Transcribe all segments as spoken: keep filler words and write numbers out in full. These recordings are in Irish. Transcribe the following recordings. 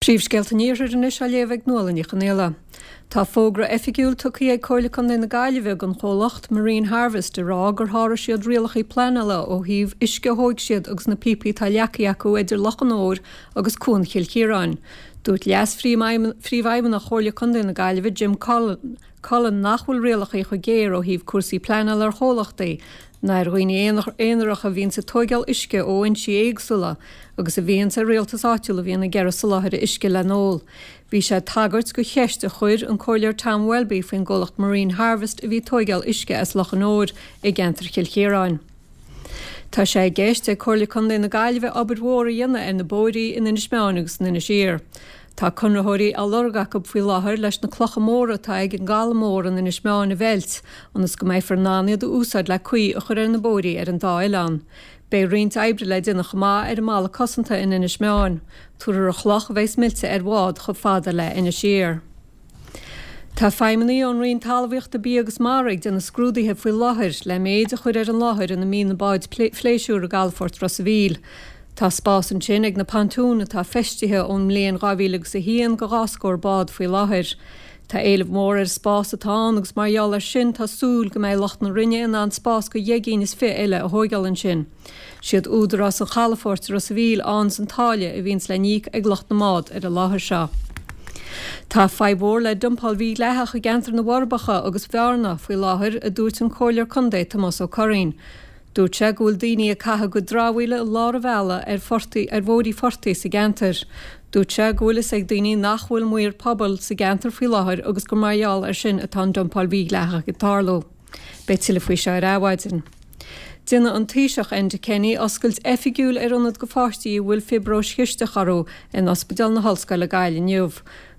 Príomhscéalta an Iarthair anois á léamh ag Nuala Ní Chonaola. Tá fógra oifigiúil tugtha ag Comhairle Contae na Gaillimhe don chomhlacht Marine Harvest ag rá gur sháraigh siad rialacha pleanála ó thaobh uisce a thóig siad agus na píopaí atá leagtha acu idir Loch an Iúir agus Cuan Chill Chiaráin. Dúirt Leas-Phríomhfheidhmeannach Chomhairle Contae na Gaillimhe Jim Cullen, Cullen nach bhfuil rialacha chomh géar ó thaobh cúrsaí pleanála ar chomhlachtaí ná ar dhaoine aonaracha a bhíonns ag tóigeáil uisce ó fhoinsí éagsúla agus a bhíonns ar rialtas áitiúil a bhíonn ag iarraidh soláthar uisce le n-ól. Bhí sé ag tagairt do cheist a chuir an Comhairleoir Tom Welby faoin gcomhlacht Marine Harvest a bhí ag tóigeáil uisce as Loch an Iúir i gceantar Chill Chiaráin. Tá sé i gceist ag Comhairle Contae na Gaillimhe obair mhór a dhéanamh ar na bóithrí in Inis Meáin agus in Inis Oírr. Tá conraitheoirí á lorg acu faoi láthair leis na clocha móra atá ag an gcaladh mór in Inis Meáin a mheilt, ionas go mbeifear in ann iad a úsáid le caoi a chur ar na bóithrí ar an dá oileán. Beidh roinnt oibre le déanamh chomh maith ar an mballa cosanta in Inis Meáin. Tabharfar an chloch a bheas meilte ar bhád chomh fada le Inis Oírr. Tá feidhmeannaigh ón Roinn Talmhaíochta Bia agus Mara ag déanamh scrúduithe faoi láthair le méid a chur ar an láthair ina mbíonn na báid phléisiúir i gcalafort Ros a' Mhíl. Tá spás ansin ag na pontúin atá feistithe ón mbliain dhá mhíle agus a haon do dhá scór bád faoi láthair. Tá éileamh mór ar an spás atá ann agus mar gheall air sin tá súil go mbeidh lucht na Roinne in ann spás do dheich gcinn is fiche eile a thóigeáil ansin. Siad údarás an chalafoirt i Ros a' Mhíl a fhaigheanns an táille a bhíonns le n-íoc ag lucht na mbád ar an láthair seo. Tá fadhb mhór le dumpáil mhídhleathach i gceantar na bhForbacha agus Bhearna faoi láthair, a dúirt an Comhairleoir Contae Tomás Ó Curraoin. Dúirt sé go bhfuil daoine ag caitheamh a gcuid dramhaíola i lár an bhealaigh ar phortaigh, ar bhóithrí phortaigh sa gceantar. Dúirt sé go bhfuil fhios ag daoine nach bhfuil maor pobail sa gceantar faoi láthair agus gur mar gheall air sin atá an dumpáil mhídhleathach ag tarlú. Beidh tuilleadh faoi seo ar Adhmhaidin. Déanfaidh an Taoiseach Enda Kenny oscailt oifigiúil ar ionad do pháistí a bhfuil fiobróis chisteach orthu in Ospidéal na hOllscoile Gaillimh inniu.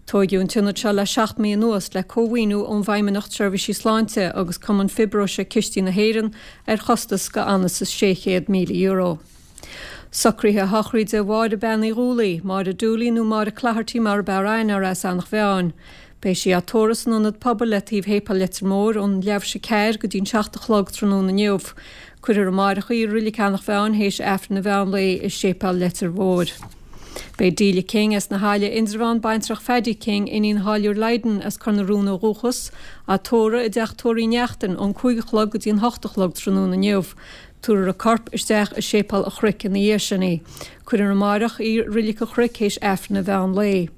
Tóigeadh an t-ionad seo le seacht mí anuas le cómhaoiniú ón bhFeidhmeannacht Seirbhísí Sláinte agus Cumann Fiobróise Cistí na hÉireann ar chostas go anuas is sé chéad míle euro. Socruithe sochraide Mháire Bean Uí Dhúlaí, Máire Dooley nó Máire Cloherty mar ab fhearr aithne uirthi as Eanach Mheáin. Beidh sí á tórramh san Ionad Pobail le taobh Shéipéal Leitir Móir ón leathuair théis a ceathair go dtí'n seacht a chlog tráthnóna inniu. Cuirfear amáireach í i Reilig Eanach Mheáin théis Aifreann an mheán lae i Séipéal Leitir Mhóir. Beidh Delia King as na hAille, Indreabhán, baintreach Phaddy King, iníon Tháilliúir Lydon as Cor na Rún ó dhúchas, á tórramh i dteach tórraimh Uí Neachtain ón cúig a chlog go dtí an hocht a chlog tráthnóna inniu. Tabharfar a corp isteach i Séipéal an Chnoic ina dhiaidh sin í. Cuirfear amáireach í i Reilig an Chnoic théis Aifreann an mheán lae.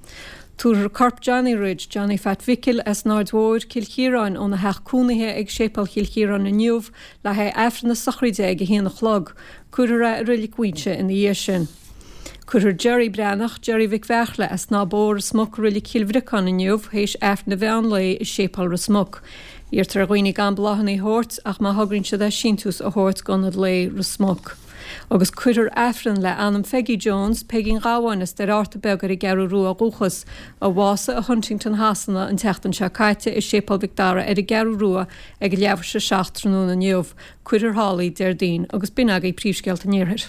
Tabharfar corp Johnny Ridge, Johnny Phat Mhicil as an Aird Mhóir, Cill Chiaráin, óna theach cónaithe ag Séipéal Chill Chiaráin inniu le haghaidh Aifreann na sochraide ag a haon a chlog. Cuirfear é i Reilig Mhuinseo ina dhiaidh sin. Cuirfear Jerry Breathnach, Jerry Mhic Bheartla, as Snáth Bó, Ros Muc, i Reilig Chill Bhriocáin inniu théis Aifreann an mheán lae i Séipéal Ros Muc. Iarrtar ar dhaoine gan bláthanna a thabhairt ach má thograíonn siad é síntiús a thabhairt d'Ionad Lae Ros Muc. Agus cuirfear Aifreann le anam Pheggy Jones, Peigín Ghabháin as Doire Fhearta Beag ar an gCeathrú Rua ó dhúchas, a bhásaigh i Huntingdon Shasana an tseachtain seo caite i Séipéal Mhic Dara ar an gCeathrú Rua ag leathuair théis a seacht tráthnóna inniu. Cuirfear thall í Déardaoin agus b'in agaibh príomhscéalta an Iarthair.